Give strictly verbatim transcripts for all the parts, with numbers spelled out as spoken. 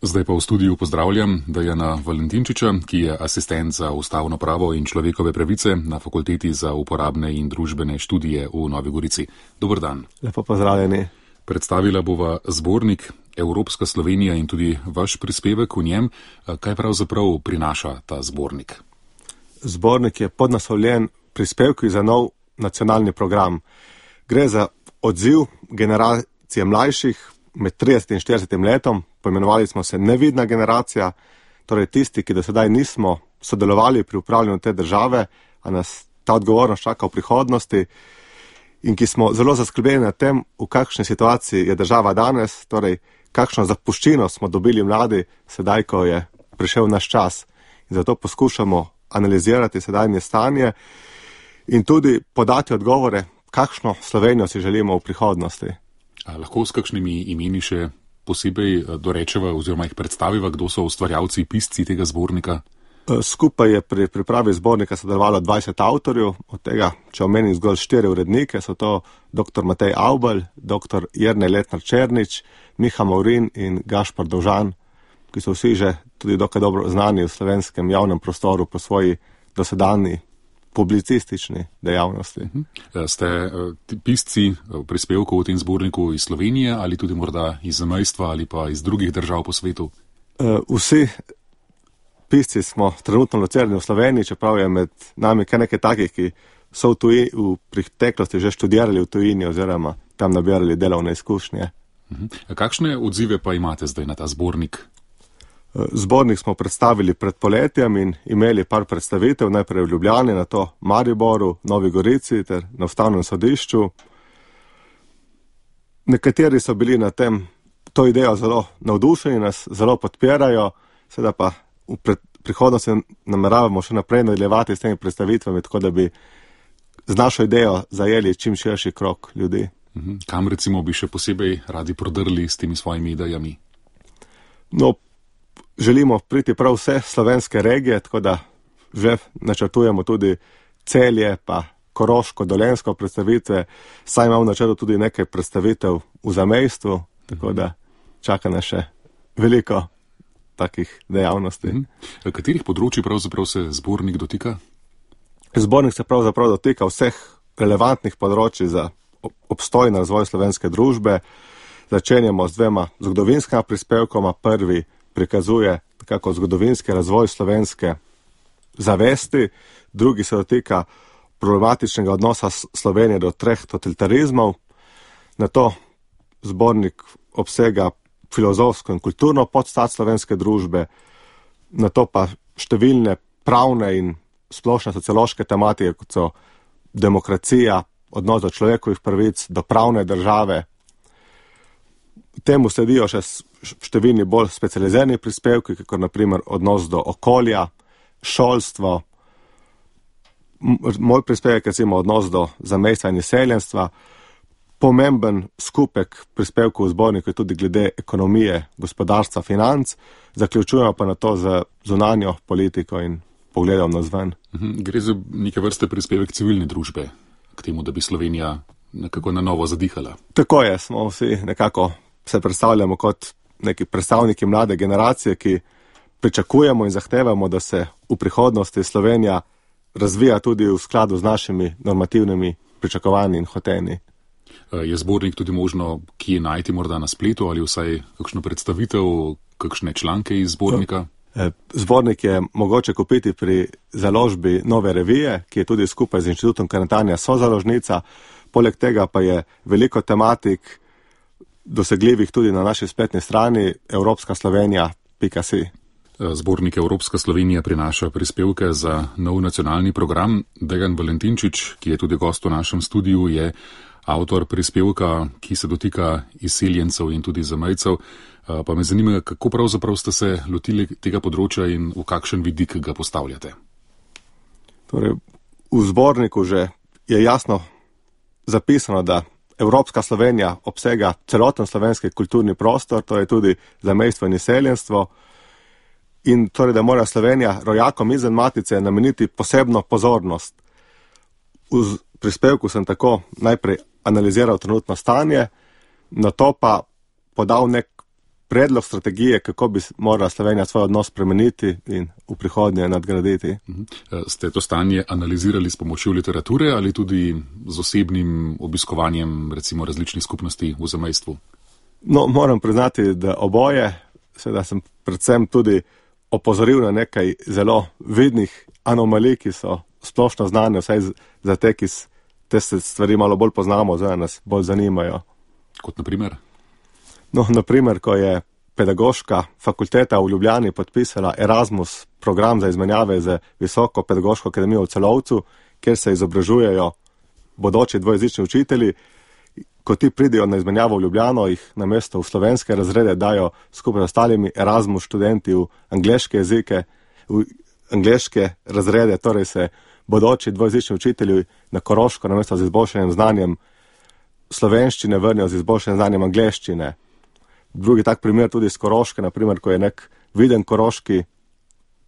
Zdaj pa v studiu pozdravljam Dejana Valentinčiča, ki je asistent za ustavno pravo in človekove pravice na Fakulteti za uporabne in družbene študije v Novi Gorici. Dober dan. Lepo pozdravljeni. Predstavila bova zbornik Evropska Slovenija in tudi vaš prispevek v njem. Kaj pravzaprav prinaša ta zbornik? Zbornik je podnaslovljen prispevki za nov nacionalni program. Gre za odziv generacije mlajših med tridesetim in štiridesetim letom. Poimenovali smo se nevidna generacija, torej tisti, ki do sedaj nismo sodelovali pri upravljanju te države, a nas ta odgovornost čaka v prihodnosti in ki smo zelo zaskrbljeni nad tem, v kakšni situaciji je država danes, torej kakšno zapuščino smo dobili mladi sedaj, ko je prišel naš čas. In zato poskušamo analizirati sedajnje stanje in tudi podati odgovore, kakšno Slovenijo si želimo v prihodnosti. A lahko s kakšnimi imeni še posebej dorečeva oziroma jih predstaviva, kdo so ustvarjalci, pisci tega zbornika? Skupaj je pri pripravi zbornika sodelovalo dvajset avtorjev, od tega, če omenim zgolj štiri urednike, so to dr. Matej Avbelj, dr. Jernej Letnar Černič, Miha Maurin in Gašpar Dovžan, ki so vsi že tudi dokaj dobro znani v slovenskem javnem prostoru po svoji dosedanji publicistični dejavnosti. Ste pisci prispevkov v tem zborniku iz Slovenije ali tudi morda iz zamejstva ali pa iz drugih držav po svetu? Vsi pisci smo trenutno locirani v Sloveniji, čeprav je med nami kar nekaj takih, ki so v, tuji, v preteklosti že študirali v tujini oziroma tam nabirali delovne izkušnje. Kakšne odzive pa imate zdaj na ta zbornik? Zbornik smo predstavili pred poletjem in imeli par predstavitev, najprej v Ljubljani, nato Mariboru, Novi Gorici ter na Ustavnem sodišču. Nekateri so bili na tem, to idejo zelo navdušeni, nas zelo podpirajo, sedaj pa v prihodnosti nameravamo še naprej nadaljevati s temi predstavitvami, tako da bi z našo idejo zajeli čim širši krog ljudi. Kam recimo bi še posebej radi prodrli s temi svojimi idejami? No, želimo priti prav vse slovenske regije, tako da že načrtujemo tudi Celje, pa Koroško, Dolenjsko predstavitve, saj imamo v načrtu tudi nekaj predstavitev v zamejstvu, tako da čaka nas še veliko takih dejavnosti. Katerih področji pravzaprav se zbornik dotika? Zbornik se pravzaprav dotika vseh relevantnih področji za obstoj in razvoj slovenske družbe. Začenjamo z dvema zgodovinskima prispevkoma. Prvi prikazuje nekako zgodovinski razvoj slovenske zavesti, drugi se dotika problematičnega odnosa Slovenije do treh totalitarizmov. Nato zbornik obsega filozofsko in kulturno podstat slovenske družbe, nato pa številne pravne in splošne sociološke tematike, kot so demokracija, odnos do človekovih pravic, do pravne države. Temu sledijo še številni bolj specializirani prispevki, kot naprimer odnos do okolja, šolstvo. Moj prispevek je recimo odnos do zamejstva in izseljenstva. Pomemben skupek prispevkov v zborniku je tudi glede ekonomije, gospodarstva, financ, zaključujemo pa na to z zunanjo politiko in pogledom nazven. Gre za neke vrste prispevek civilne družbe k temu, da bi Slovenija nekako na novo zadihala. Tako je, smo vsi nekako se predstavljamo kot neki predstavniki mlade generacije, ki pričakujemo in zahtevamo, da se v prihodnosti Slovenija razvija tudi v skladu z našimi normativnimi pričakovanji in hotenji. Je zbornik tudi možno kje najti morda na spletu ali vsaj kakšno predstavitev, kakšne članke iz zbornika? Zbornik je mogoče kupiti pri založbi Nove revije, ki je tudi skupaj z Inštitutom Karantanija sozaložnica. Poleg tega pa je veliko tematik dosegljivih tudi na naši spletni strani evropska slovenija pika si. Zbornik Evropska Slovenija prinaša prispevke za nov nacionalni program. Dejan Valentinčič, ki je tudi gost v našem studiu, je avtor prispevka, ki se dotika izseljencev in tudi zamejcev. Pa me zanima, kako pravzaprav ste se lotili tega področja in v kakšen vidik ga postavljate? Torej, v zborniku že je jasno zapisano, da Evropska Slovenija obsega celoten slovenski kulturni prostor, to je tudi zamejstvo in izseljenstvo, in torej, da mora Slovenija rojakom izven matice nameniti posebno pozornost. V prispevku sem tako najprej analiziral trenutno stanje, nato pa podal nek predlog strategije, kako bi morala Slovenija svoj odnos spremeniti in v prihodnje nadgraditi. Ste to stanje analizirali s pomočjo literature ali tudi z osebnim obiskovanjem recimo različnih skupnosti v zamejstvu? No, moram priznati, da oboje, seveda sem predvsem tudi opozoril na nekaj zelo vidnih anomalij, ki so splošno znane, vsaj za te, ki te stvari malo bolj poznamo, zdaj nas bolj zanimajo. Kot na primer? No, na primer, ko je pedagoška fakulteta v Ljubljani podpisala Erasmus program za izmenjave z Visoko pedagoško akademijo v Celovcu, kjer se izobražujejo bodoči dvojezični učitelji, ko ti pridejo na izmenjavo v Ljubljano, jih namesto v slovenske razrede dajo skupaj z ostalimi Erasmus študenti v angleške jezike, v angleške razrede, torej se bodoči dvojezični učitelji na Koroško namesto z izboljšanjem znanjem slovenščine vrnijo z izboljšanjem znanjem angleščine. Drugi tak primer tudi iz Koroške, naprimer, ko je nek viden koroški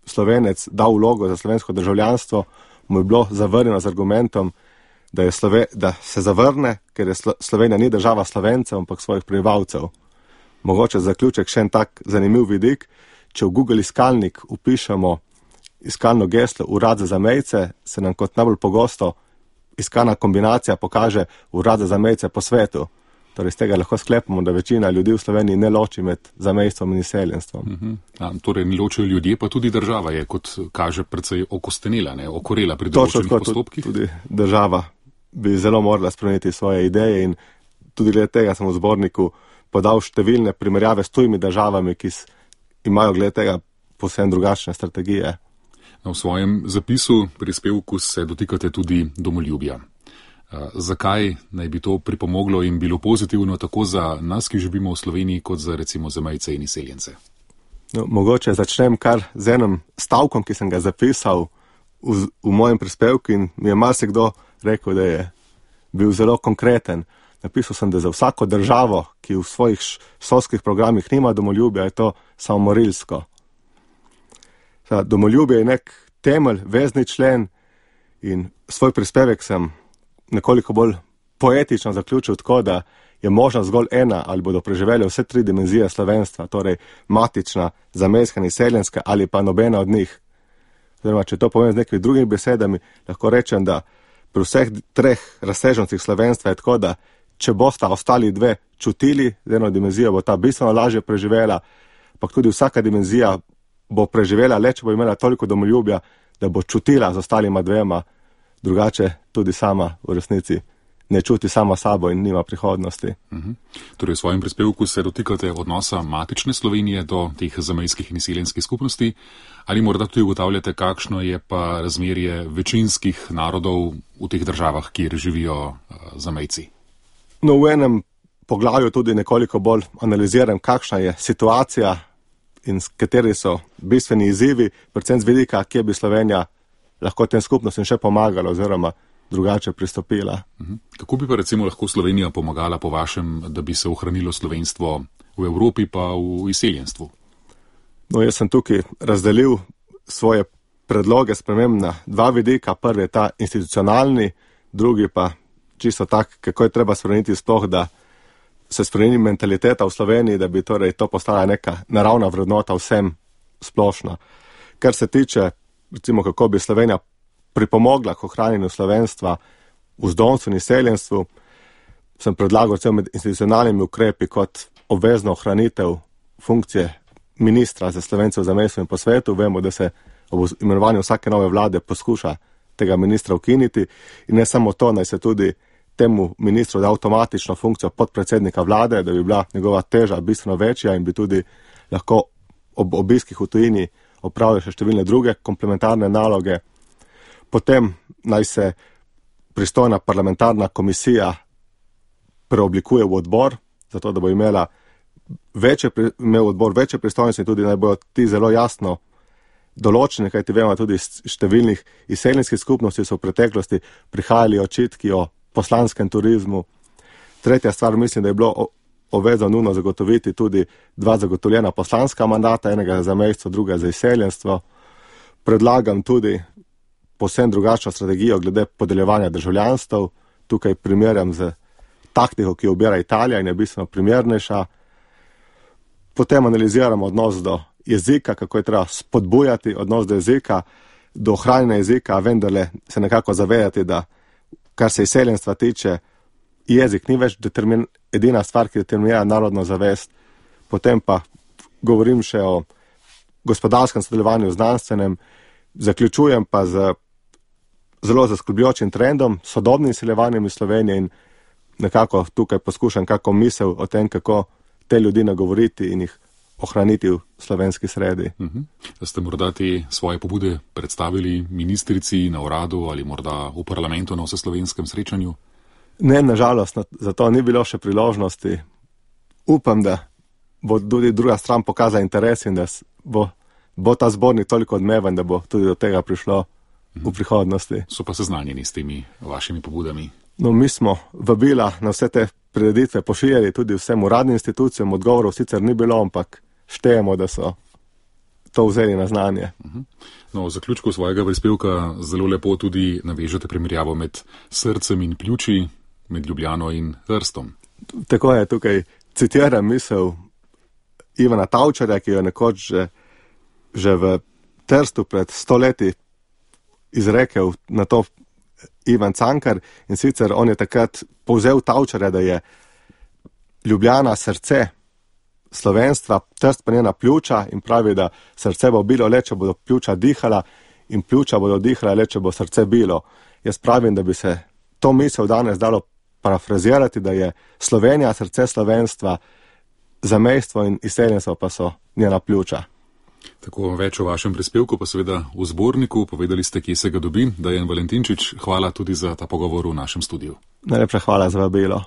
Slovenec dal vlogo za slovensko državljanstvo, mu je bilo zavrnjeno z argumentom, da, je Slove, da se zavrne, ker je Slo, Slovenija ni država Slovencev, ampak svojih prebivalcev. Mogoče zaključek še en tak zanimiv vidik, če v Google iskalnik upišemo iskalno geslo Urad za zamejce, se nam kot najbolj pogosto iskalna kombinacija pokaže Urad za zamejce po svetu. Torej, z tega lahko sklepamo, da večina ljudi v Sloveniji ne loči med zamejstvom in izseljenstvom. Uh-huh. Ja, torej, ne ločijo ljudje, pa tudi država je, kot kaže, precej okostenila, ne, okorela pri določenih postopkih. Tudi država bi zelo morala spremeniti svoje ideje in tudi glede tega sem v zborniku podal številne primerjave s tujimi državami, ki imajo glede tega povsem drugačne strategije. V svojem zapisu, prispevku se dotikate tudi domoljubja. Zakaj naj bi to pripomoglo in bilo pozitivno tako za nas, ki živimo v Sloveniji, kot za recimo zamejce in izseljence? No, mogoče začnem kar z enim stavkom, ki sem ga zapisal v, v mojem prispevku in mi je marsikdo rekel, da je bil zelo konkreten. Napisal sem, da za vsako državo, ki v svojih šolskih programih nima domoljubja, je to samomorilsko. Domoljubje je nek temelj, vezni člen in svoj prispevek sem nekoliko bolj poetično zaključil tako, da je možno zgolj ena ali bodo preživeli vse tri dimenzije slovenstva, torej matična, zamejska in izseljenska ali pa nobena od njih. Zdaj, če to povem z nekimi drugimi besedami, lahko rečem, da pri vseh treh razsežnostih slovenstva je tako, da če bosta ostali dve čutili z eno dimenzijo, bo ta bistveno lažje preživela, pa tudi vsaka dimenzija bo preživela le, če bo imela toliko domoljubja, da bo čutila z ostalima dvema, drugače tudi sama v resnici ne čuti sama sabo in nima prihodnosti. Uh-huh. Torej, v svojem prispevku se dotikate odnosa matične Slovenije do teh zamejskih in izseljenskih skupnosti, ali morda tudi ugotavljate, kakšno je pa razmerje večinskih narodov v teh državah, kjer živijo uh, zamejci? No, v enem poglavju tudi nekoliko bolj analiziram, kakšna je situacija in kateri so bistveni izzivi, predvsem z vidika, kje bi Slovenija lahko tem skupnostim še pomagala oziroma drugače pristopila. Uh-huh. Kako bi pa recimo lahko Slovenija pomagala po vašem, da bi se ohranilo slovenstvo v Evropi pa v izseljenstvu? No, jaz sem tukaj razdelil svoje predloge sprememb na dva vidika. Prvi je ta institucionalni, drugi pa čisto tak, kako je treba spremeniti sploh, da se spremeni mentaliteta v Sloveniji, da bi torej to postala neka naravna vrednota vsem splošna. Kar se tiče, recimo, kako bi Slovenija pripomogla k ohranjenju slovenstva v zdomstvu in izseljenstvu, sem predlagal recimo med institucionalnimi ukrepi kot obvezno ohranitev funkcije ministra za Slovence v zamejstvu in po svetu. Vemo, da se ob imenovanju vsake nove vlade poskuša tega ministra ukiniti in ne samo to, naj se tudi temu ministru da avtomatično funkcijo podpredsednika vlade, da bi bila njegova teža bistveno večja in bi tudi lahko ob obiskih v tujini opravljali še številne druge komplementarne naloge. Potem naj se pristojna parlamentarna komisija preoblikuje v odbor, zato da bo imela večje, imel odbor večje pristojnosti in tudi naj bojo ti zelo jasno določene, kajti vemo tudi številnih izseljenskih skupnosti so v preteklosti prihajali očitki o poslanskem turizmu. Tretja stvar, mislim, da je bilo obvezno nujno zagotoviti tudi dva zagotovljena poslanska mandata, enega za zamejstvo, druga za izseljenstvo. Predlagam tudi povsem drugačno strategijo glede podeljevanja državljanstv. Tukaj primerjam z taktiko, ki jo ubira Italija in je bistveno primernejša. potem analiziramo odnos do jezika, kako je treba spodbujati odnos do jezika, do ohranjanja jezika, vendarle se nekako zavedati, da kar se izseljenstva tiče, jezik ni več determin, edina stvar, ki determinira narodno zavest. Potem pa govorim še o gospodarskem sodelovanju, znanstvenem, zaključujem pa z zelo zaskrbljujočim trendom, sodobnim izseljevanjem iz Slovenije in nekako tukaj poskušam kako misel o tem, kako te ljudi nagovoriti in jih ohraniti v slovenski sredi. Uh-huh. Ste morda te svoje pobude predstavili ministrici na uradu ali morda v parlamentu na vseslovenskem srečanju? Ne, nažalost, za to ni bilo še priložnosti. Upam, da bo tudi druga stran pokazala interes in da bo, bo ta zbornik toliko odmeven, da bo tudi do tega prišlo uh-huh. v prihodnosti. So pa seznanjeni s temi vašimi pobudami? No, mi smo vabila na vse te prireditve pošiljali tudi vsem uradnim institucijam, odgovorov sicer ni bilo, ampak štejemo, da so to vzeli na znanje. Uh-huh. No, v zaključku svojega prispevka zelo lepo tudi navežete primerjavo med srcem in pljuči, med Ljubljano in Trstom. Tako je, tukaj citiram misel Ivana Tavčarja, ki jo nekoč že, že v Trstu pred sto leti izrekel na to Ivan Cankar, in sicer on je takrat povzel Tavčarja, da je Ljubljana srce slovenstva, Trst pa njena pljuča, in pravi, da srce bo bilo le, če bodo pljuča dihala, in pljuča bodo dihala le, če bo srce bilo. Jaz pravim, da bi se to misel danes dalo parafrazirati, da je Slovenija srce slovenstva, zamejstvo in izseljenstvo pa so njena pljuča. Tako več o vašem prispevku, pa seveda v zborniku, povedali ste, kje se ga dobi. Dejan Valentinčič, hvala tudi za ta pogovor v našem studiu. Najlepša hvala za vabilo.